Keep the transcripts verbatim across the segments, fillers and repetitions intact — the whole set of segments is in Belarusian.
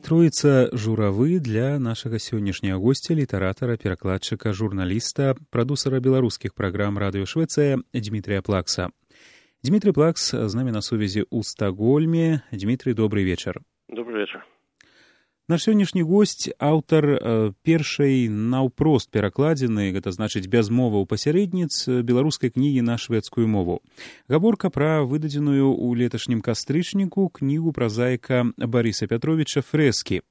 Троица журавы для нашага сённяшняга госця, літаратара, перакладчыка, журналіста, прадусара беларускіх праграм радыё Швецыя Дмітрыя Плакса. Дмітрый Плакс з намі на сувязі ў Стакгольме. Дмітрый, добрый вечар. Добрый вечар. Наш сённяшні госць аўтар э, першай наўпрост перакладзены, гэта значыць без моваў пасярэдніц, беларускай кнігі на шведскую мову. Гаворка пра выдадзеную ў леташнім кастрычніку кнігу празаіка Барыса Пятровіча «Фрэскі».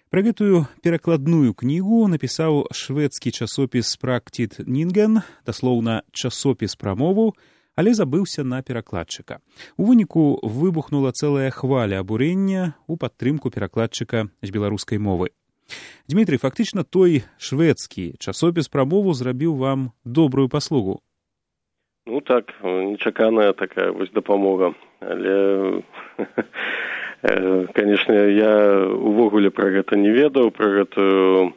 Пра гэтую перакладную кнігу напісаў шведскі часопіс «Практит Нінген», даслоўна часопіс пра мову, але забыўся на перакладчыка. У выніку выбухнула цэлая хваля абурення ў падтрымку перакладчыка з беларускай мовы. Дмітрый, фактычна той шведскі часопіс пра мову зрабіў вам добрую паслугу. Ну так, нечаканая такая вось дапамога. Але, канешне, я увогуле пра гэта не ведаў, пра гэтую...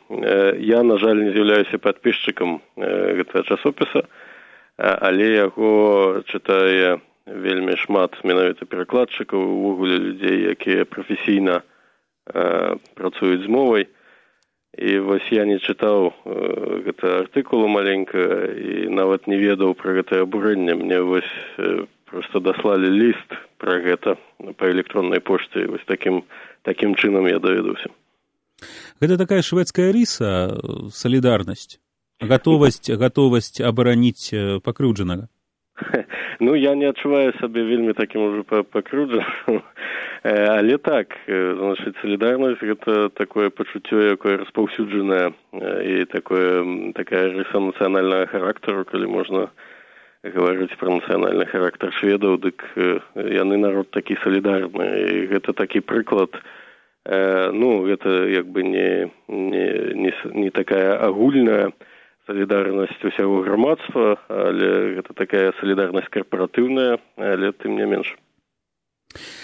Я, на жаль, не з'яўляюся падпісчыкам гэтага часопіса, але яго чытае вельмі шмат менавіта перакладчыкаў, увогуле людзей, якія прафесійна э, працуюць з мовай. І вось я не чытаў э, гэта артыкулу маленька і нават не ведаў пра гэтае абурэнне. Мне вось э, проста даслалі ліст пра гэта па электроннай пошце. Вось такім, такім чынам я даведаўся. Гэта такая шведская рыса, салідарнасць? Гатовасць, гатовасць абараніць пакрыўджанага? Ну, я не адчуваю сабе вельмі такім ужо пакрыўджаным. Але так, значыць, салідарнасць — гэта такое пачуццё, якое распаўсюджанае, і такое, такая рыса нацыянальнага характару, калі можна гаварыць пра нацыянальны характар шведаў, дык яны народ такі салідарны. І гэта такі прыклад. Ну, гэта як бы не, не, не, не такая агульная салідарнасць усяго грамадства, але гэта такая салідарнасць карпаратыўная, але тым не менш.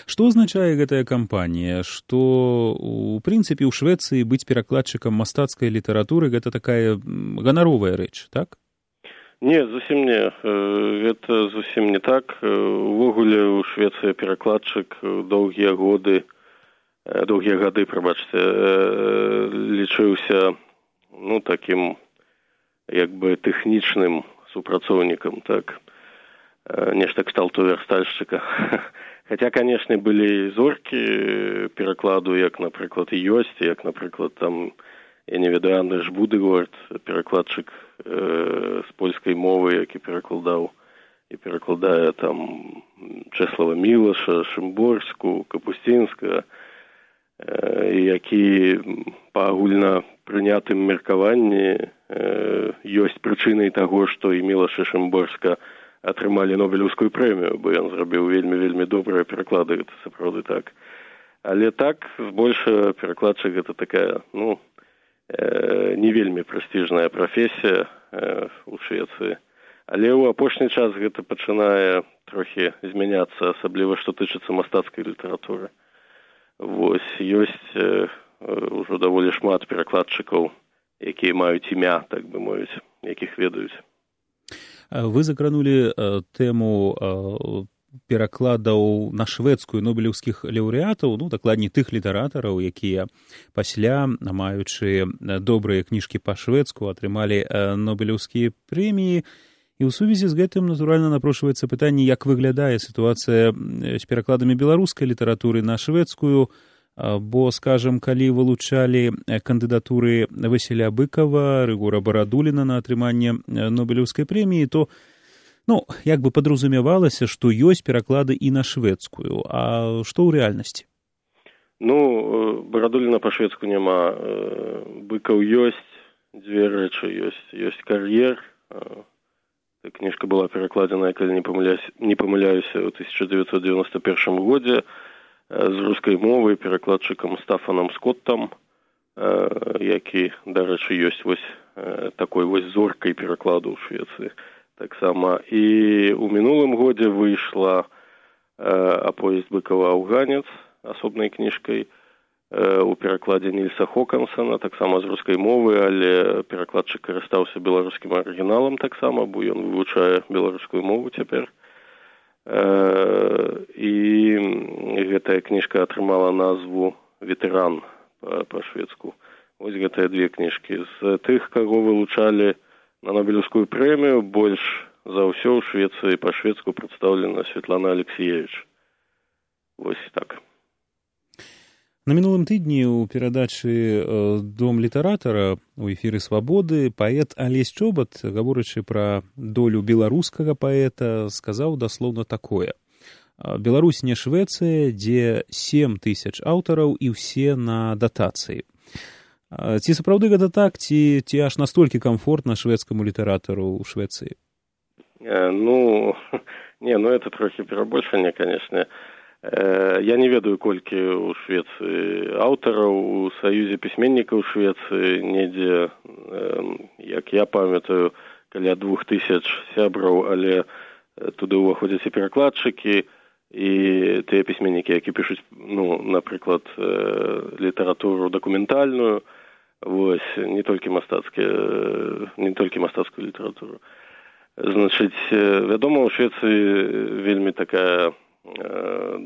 Што азначае гэтая кампанія? Што, у прынцыпе, ў Швецыі быць перакладчыкам мастацкай літаратуры — гэта такая ганаровая рэч, так? Не, зусім не. Гэта зусім не так. Увогуле ў Швецыі перакладчык доўгія годы, доўгія гады, прабачце, лічыўся, ну, такім як бы тэхнічным супрацоўнікам, так, нешта кшталту верстальшчыка. Хаця, канешне, былі зоркі перакладу, як, напрыклад, і ёсць, як, напрыклад, там, я не ведаю, Андрэш Будыгорд, перакладчык э, з польскай мовы, які перакладаў і перакладае там Чэслава Мілаша, Шымборску, Капусцінска, э, які па агульна прынятым меркаванні э, ёсць прычынай таго, што і Мілаш і Шымборска атрымалі Нобелеўскую прэмію, бо ён зрабіў вельмі-вельмі добрыя пераклады, гэта сапраўды так. Але так, збольшага перакладчык — гэта такая, ну, э, не вельмі прэстыжная прафесія э, у Швецыі. Але ў апошні час гэта пачынае трохі змяняцца, асабліва што тычыцца мастацкай літаратуры. Вось, ёсць э, ўжо даволі шмат перакладчыкаў, якія маюць імя, так бы мовіць, якіх ведаюць. Вы закранулі э, тэму э, перакладаў на шведскую нобелеўскіх лаўрэатаў, ну, дакладней тых літаратараў, якія пасля, маючы добрыя кніжкі па-шведску, атрымалі э, нобелеўскія прэміі. І ў сувязі з гэтым, натуральна, напрошваецца пытанне, як выглядае сітуацыя з перакладамі беларускай літаратуры на шведскую, бо, скажам, калі вылучалі кандыдатуры Васіля Быкова, Рыгора Барадуліна на атрыманне нобелеўскай прэміі, то, ну, як бы падразумявалася, што ёсць пераклады і на шведскую. А што ў рэальнасці? Ну, Барадуліна па-шведску няма. Быкаў ёсць, дзве рэчы ёсць. Ёсць кар'ер. Кніжка была перакладзеная, калі не памыляюся, не памыляюся, ў тысяча дзевяцьсот дзевяноста першым годзе з рускай мовы перакладчыкам Стафанам Скоттам, які, дарэчы, ёсць вось такой вось зоркай перакладу ў Швецыі. Таксама і ў мінулым годзе выйшла аповесць Быкова «Афганец» асобнай кніжкай у перакладзе Нільса Хокансона, таксама з рускай мовы, але перакладчык карыстаўся беларускім арыгіналам таксама, бо ён вывучае беларускую мову цяпер. І гэтая кніжка атрымала назву «Ветэран». па-шведску. Вось гэтыя две кніжкі. З тых, каго вылучалі на Нобелевскую прэмію, больш за ўсё ў Швецыі па-шведску прадстаўлена Светлана Алексеевич. Вось так. На мінулым тыдні ў перадачы «Дом літаратара» у эфіры «Свабоды» паэт Алесь Чобат, гаворачы пра долю беларускага паэта, сказаў даслоўна такое. Беларусь не Швецыя, дзе сем тысяч аўтараў і ўсе на датацыі. Ці сапраўды гэта так, ці, ці аж настолькі камфортна шведскаму літаратару ў Швецыі? Ну, не, ну это трохі перабольшанне, канешне. Я не ведаю, колькі ў Швецыі аўтараў, у Саюзе пісьменнікаў Швецыі, недзе, як я памятаю, каля двух тысяч сябраў, але туды ўваходзяць і перакладчыкі, і тыя пісьменнікі, які пішуць, ну, напрыклад, літаратуру дакументальную, вось, не толькі мастацкія, не толькі мастацкую літаратуру. Значыць, вядома, у Швецыі вельмі такая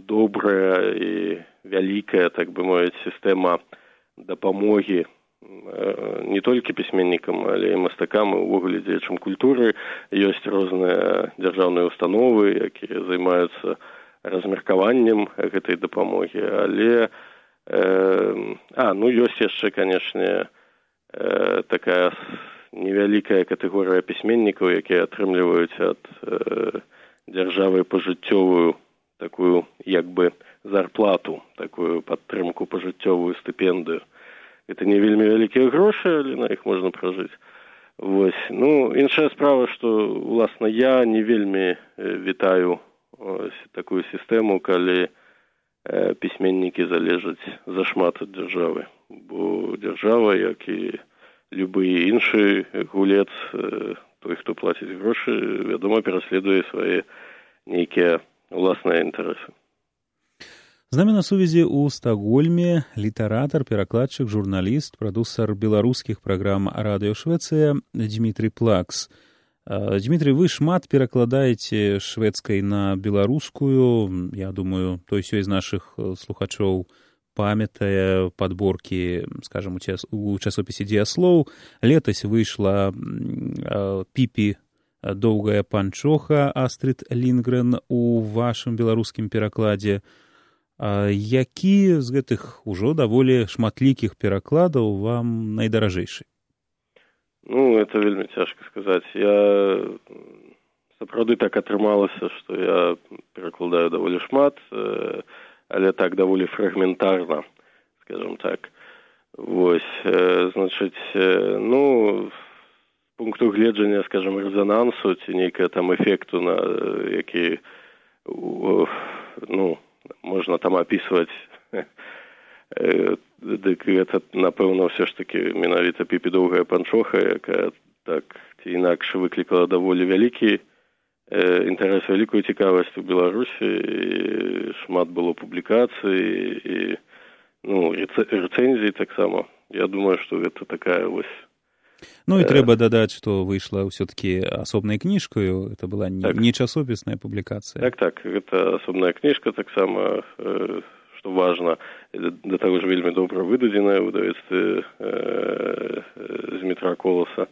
добрая і вялікая, так бы мовіць, сістэма дапамогі не толькі пісьменнікам, але і мастакам, і ўвогуле дзеячам культуры. Ёсць розныя дзяржаўныя установы, якія займаюцца размеркаваннем гэтай дапамогі, але э, а, ну, ёсць яшчэ, канешне, э, такая невялікая катэгорыя пісьменнікаў, якія атрымліваюць ад э, дзяржавы пажыццёвую такую, як бы, зарплату, такую падтрымку пажыццёвую стыпендыю. Это не вельмі вялікія грошы, але на іх можна пражыць. Вось. Ну, іншая справа, што, уласна, я не вельмі вітаю ось такую сістэму, калі э, пісьменнікі залежаць зашмат ад дзяржавы. Бо дзяржава, як і любы іншы гулец, э, той, хто плаціць грошы, вядома, пераследуе свае нейкія уласныя інтарэсы. З намі на сувязі ў Стакгольме літаратар, перакладчык, журналіст, прадусар беларускіх праграм Радыё Швецыя Дмітрый Плакс. Дмітрый, вы шмат перакладаеце шведскай на беларускую. Я думаю, той сёй з нашых слухачоў памятае падборкі, скажам, у часопісе «Дзеяслоў». Летась выйшла «Піпі доўгая панчоха» Астрид Лінгрен у вашым беларускім перакладзе. А які з гэтых ужо даволі шматлікіх перакладаў вам найдаражэйшы? Ну, это вельмі цяжка сказаць. Я сапраўды так атрымалася, што я перакладаю даволі шмат, але так даволі фрагментарна, скажем так. Вось, значыць, ну, пункту гледжання, скажем, резонансу, ці нейкая там эфекту, на які, ну, можна там апісваць, дык гэта, напэўна, ўсё ж такі менавіта «Піпі доўгая панчоха», якая так ці інакш выклікала даволі вялікі інтарэс, вялікую цікавасць у Беларусі, і шмат было публікацый, і, ну, рэцэнзій таксама. Я думаю, што гэта такая вось. Ну і трэба дадаць, што выйшла ўсё-такі асобнай кніжкаю, это была не, так. не часопісная публікацыя. Так, так, гэта асобная кніжка таксама, што важна, да таго ж вельмі добра выдадзеная ў выдавецтве Змітра Коласа.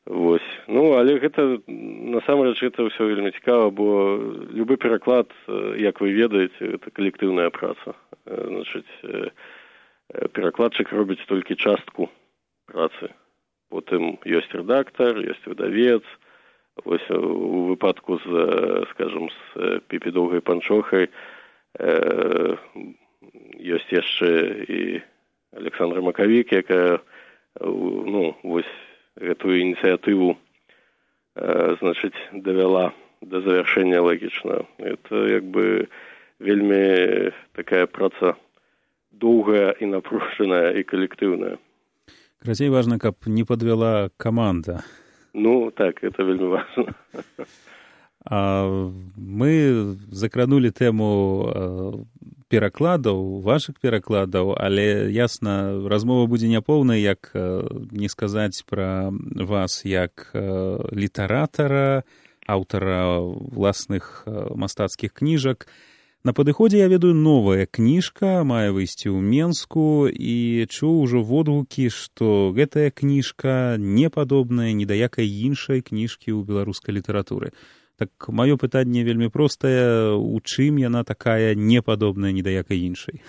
Вось. Ну, але гэта, насамрэч, гэта ўсё вельмі цікава, бо любы пераклад, як вы ведаеце, гэта калектыўная праца. Значыць, перакладчык робіць толькі частку працы. Потым ёсць рэдактар, ёсць выдавец. Вось у выпадку з, скажам, з «Піпі доўгай панчохай э, ёсць яшчэ і Александра Макавік, якая, ну, вось гэтую ініцыятыву, э, значыць, давяла да завяршэння лагічна. Это, як бы, вельмі такая праца доўгая і напружаная і калектыўная. Крацей важна, каб не подвяла каманда. Ну, так, это вельмі важна. А мы закранули тэму перакладаў, вашых перакладаў, але, ясна, размова будзе няпоўнай, як не сказаць пра вас як літаратара, аўтара ўласных мастацкіх кніжак. На падыходзе, я ведаю, новая кніжка мае выйсці ў Менску, і чуў ужо водгукі, што гэтая кніжка не падобная ні да якай іншай кніжкі ў беларускай літаратуры. Так маё пытанне вельмі простае, у чым яна такая непадобная ні да якай іншай?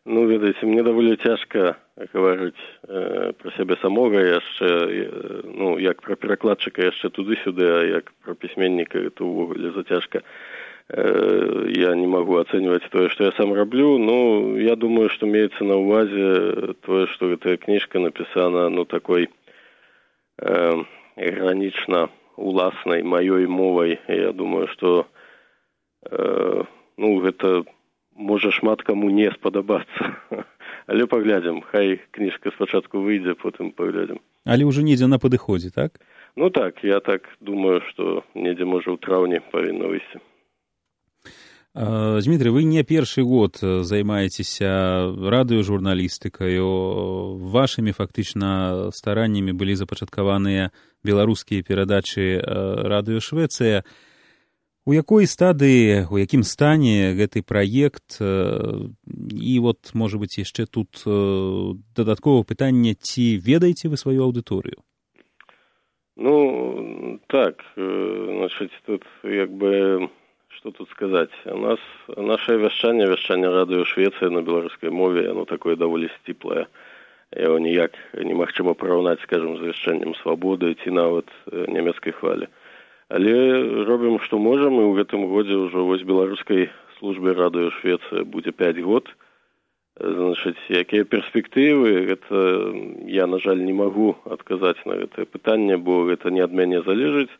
Ну, ведаеце, мне даволі цяжка гаварыць э, пра сябе самога яшчэ, э, ну, як пра перакладчыка яшчэ туды-сюды, а як пра пісьменніка, это ўвогуле зацяжка. Я не могу оценивать то, что я сам раблю, но я думаю, что имеется на увазе то, что эта книжка написана, ну, такой э, гранично уласной моей мовой. Я думаю, что э, ну, это може шмат кому не сподобаться. Але поглядим, хай книжка спочатку выйдзе, потом поглядим. Але уже недзе на падыходзе, так? Ну так, я так думаю, что недзе можа ў траўні павінна выйсці. Дмитрий, вы не першы год займаецеся радыёжурналістыкаю. Вашымі фактычна стараннямі былі запачаткаваныя беларускія перадачы радыё Швецыя. У якой стадыі, у якім стане гэты праект? І вот, можа быць, яшчэ тут дадатковае пытанне, ці ведаеце вы сваю аўдыторыю? Ну, так, значит, тут як бы... Что тут сказать? У нас наше вяшчанне, вяшчанне радыё Швецыя на беларускай мове, оно такое даволі сціплае. Яго ніяк немагчыма параўнаць, скажем, з вяшчаннем свабоды ці нават нямецкай хвалі. Але робім, што можам, і ў гэтым годзе ўжо вось беларускай службе радыё Швецыя будзе пяць год. Значыць, якія перспектывы, гэта я, на жаль, не магу адказаць на гэтае пытанне, бо гэта не ад мяне залежыць.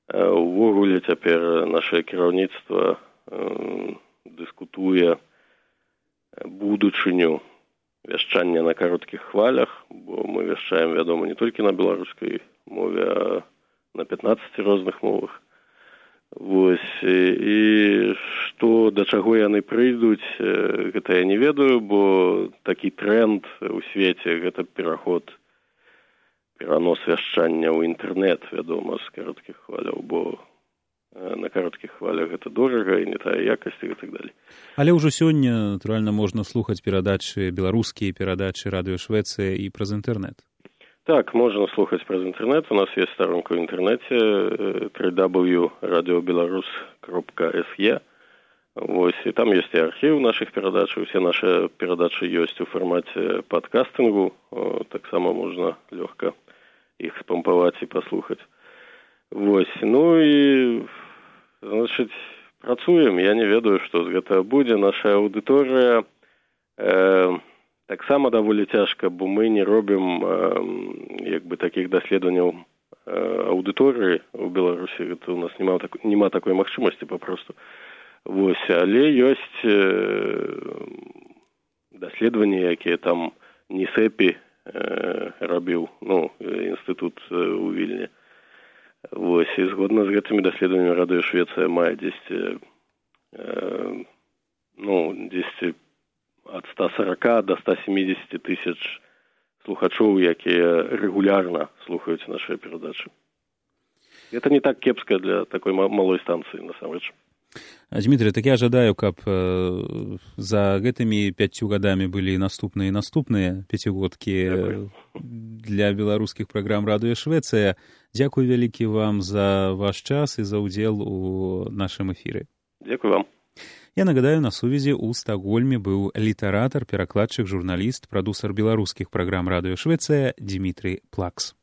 Увогуле цяпер наше кіраўніцтва э, дыскутуе будучыню вяшчання на кароткіх хвалях, бо мы вяшчаем, вядома, не толькі на беларускай мове, а на пятнаццаці розных мовах. Вось, і што, да чаго яны прыйдуць, гэта я не ведаю, бо такі тренд у свеце, гэта пераход перанос вяшчання ў інтэрнэт, вядома, з кароткіх хваляў, бо на кароткіх хвалях гэта дорага і не тая якасць і так далей. Але ўжо сёння, натуральна, можна слухаць перадачы, беларускія перадачы радыё Швецыя і праз інтэрнэт. Так, можна слухаць праз інтэрнэт. У нас ёсць старонка ў інтэрнэце дабл ю дабл ю крапка радиобеларус крапка эс е. Вось, і там ёсць і архіў нашых перадач, усе нашы перадачы ёсць у фармаце падкастынгу, таксама можна лёгка іх спампаваць і паслухаць. Вось, ну і, значыць, працуем, я не ведаю, што з гэтага будзе. Наша аўдыторыя э, таксама даволі цяжка, бо мы не робім э, як бы такіх даследаванняў э, аўдыторыі ў Беларусі, гэта у нас няма, так, няма такой магчымасці папросту. Вось, але ёсць э, даследаванні, якія там НІСЭПі э, рабіў, ну, інстытут э, у Вільні. Вось, і згодна з гэтымі даследаваннямі радыё Швецыя мае дзесьці, э, ну, дзесьці ад ста сорока до ста семидесяти тысяч слухачоў, якія рэгулярна слухаюць нашыя перадачы. Гэта не так кепска для такой малой станцыі, насамрэч. Дмитрий, так я жадаю, каб э, за гэтымі пяццю гадамі былі наступныя і наступныя пяцігодкі э, для беларускіх праграм радыё Швецыя. Дзякуй вялікі вам за ваш час і за ўдзел у нашым эфіры. Дзякуй вам. Я нагадаю, на сувязі ў Стакгольме быў літаратар, перакладчык, журналіст, прадусар беларускіх праграм радыё Швецыя Дмітрий Плакс.